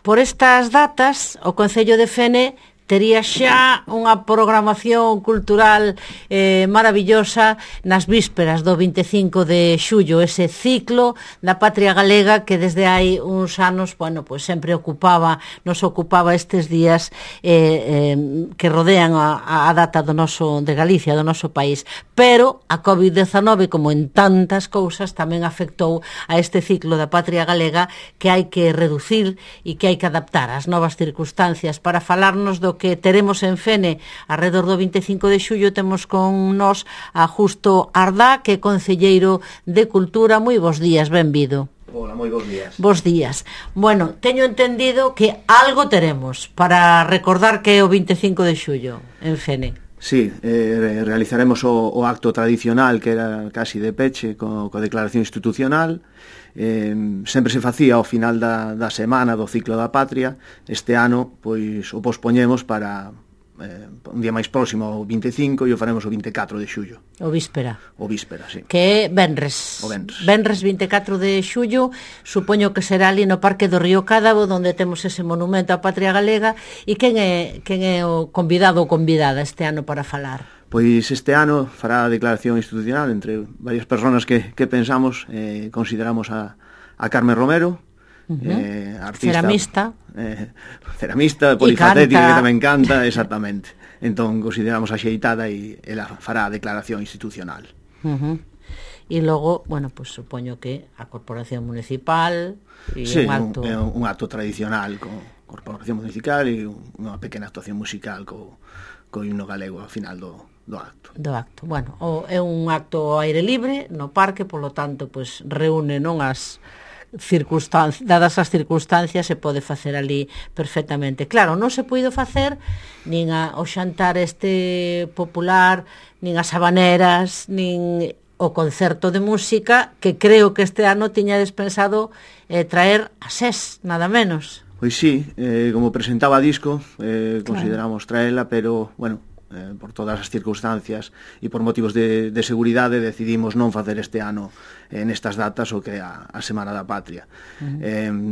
por estas datas, o Concello de Fene tería xa unha programación cultural maravillosa nas vísperas do 25 de xullo, ese ciclo da Patria Galega que desde hai uns anos, bueno, pues sempre nos ocupaba estes días que rodean a data de Galicia, do noso país. Pero a COVID-19, como en tantas cousas, tamén afectou a este ciclo da Patria Galega que hai que reducir e que hai que adaptar ás novas circunstancias. Para falarnos do que teremos en Fene alrededor do 25 de xullo, temos con nós a Justo Ardá, que é concelleiro de Cultura. Moi bons días, benvido. Hola, moi bons días. Bos días. Bueno, teño entendido que algo teremos para recordar que é o 25 de xullo en Fene. Sí, realizaremos o acto tradicional que era casi de peche coa declaración institucional. Sempre se facía ao final da semana do ciclo da Patria. Este ano pois o pospoñemos para un día máis próximo ao 25 e o faremos o 24 de xullo. O víspera, sí. Que é venres. O venres. Venres 24 de xullo, supoño que será ali no Parque do Río Cádabo, onde temos ese monumento á Patria Galega. E quen é o convidado ou convidada este ano para falar? Pois este ano fará a declaración institucional entre varias persoas que pensamos, consideramos a Carmen Romero, artista, ceramista, polifacética, que tamén canta, exactamente. Entón consideramos a xeitada e ela fará a declaración institucional. E logo, bueno, pues supoño que a Corporación Municipal e sí, un acto tradicional con Corporación Municipal e unha pequena actuación musical co himno galego ao final do acto. Bueno, é un acto ao aire libre no parque, polo tanto, pues reúne non as dadas as circunstancias, se pode facer ali perfectamente. Claro, non se puido facer nin o xantar este popular, nin as habaneras, nin o concerto de música, que creo que este ano tiña pensado traer a SES, nada menos. Pois sí, como presentaba disco, consideramos traela, pero, bueno, por todas as circunstancias e por motivos de seguridade decidimos non facer este ano nestas datas o que é a Semana da Patria.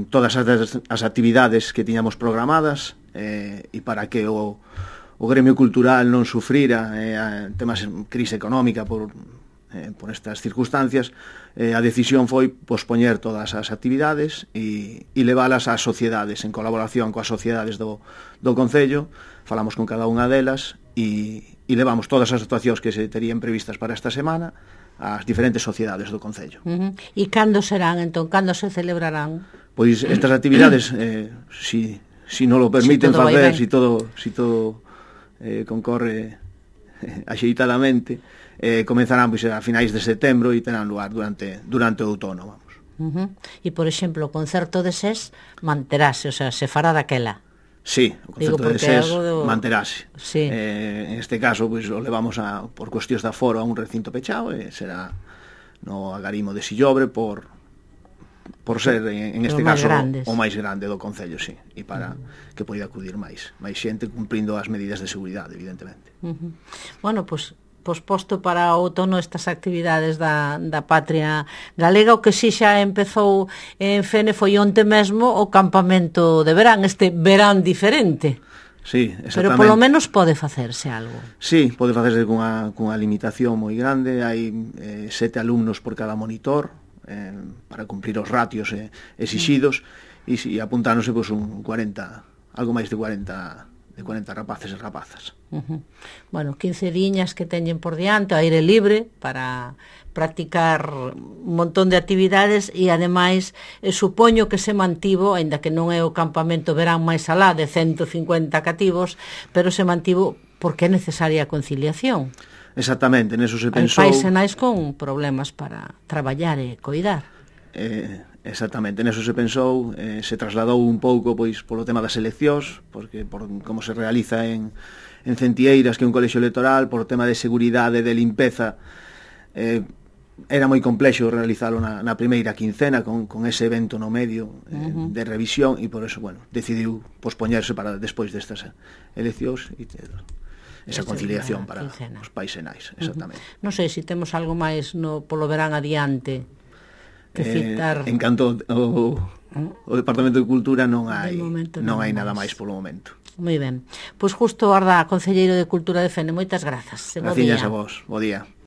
Todas as actividades que tiñamos programadas e para que o gremio cultural non sufrira temas de crise económica por estas circunstancias, a decisión foi pospoñer todas as actividades e leválas ás sociedades, en colaboración coas sociedades do Concello. Falamos con cada unha delas e levamos todas as actuacións que se terían previstas para esta semana ás diferentes sociedades do Concello. E cando serán, entón? Cando se celebrarán? Pois estas actividades, si non lo permiten facer, si todo concorre axeitadamente, comenzarán pois a finais de setembro e terán lugar durante o outono, vamos. E, por exemplo, o concerto de SES manterase, o sea, se fará daquela? Sí, o concerto de SES manterase. Sí. En este caso, pois, o levamos por cuestións de aforo a un recinto pechado, e será no Agarimo de Sillobre por ser, en este caso, o máis grande do Concello, sí, e para que poida acudir máis xente cumprindo as medidas de seguridade, evidentemente. Bueno, pois posposto para o outono estas actividades da Patria Galega. O que si xa empezou en Fene foi onte mesmo o campamento de verán, este verán diferente. Sí, exactamente. Pero polo menos pode facerse algo. Sí, pode facerse cunha limitación moi grande. Hai 7 alumnos por cada monitor para cumprir os ratios exixidos e apuntáronse pois algo máis de 40 rapaces e rapazas. Bueno, 15 diñas que teñen por diante, aire libre, para practicar un montón de actividades e, ademais, supoño que se mantivo, aínda que non é o campamento verán máis alá de 150 cativos, pero se mantivo porque é necesaria a conciliación. Exactamente, neso se pensou... Hai pais e nais con problemas para traballar e coidar. Exactamente, neso se pensou, se trasladou un pouco pois polo tema das eleccións, porque por como se realiza en Centieiras, que é un colexio electoral, por tema de seguridade, de limpeza, era moi complexo realizalo na primeira quincena con ese evento no medio de revisión, e por eso, bueno, decidiu pospoñerse para despois destas eleccións e esa conciliación para os pais e nais, exactamente. Non sei se temos algo máis polo verán adiante. que citar. En canto o Departamento de Cultura non hai nada máis máis polo momento. Moi ben. Pois justo Arda, concelleiro de Cultura de Fene, moitas grazas. Graciñas a vos. Bo día.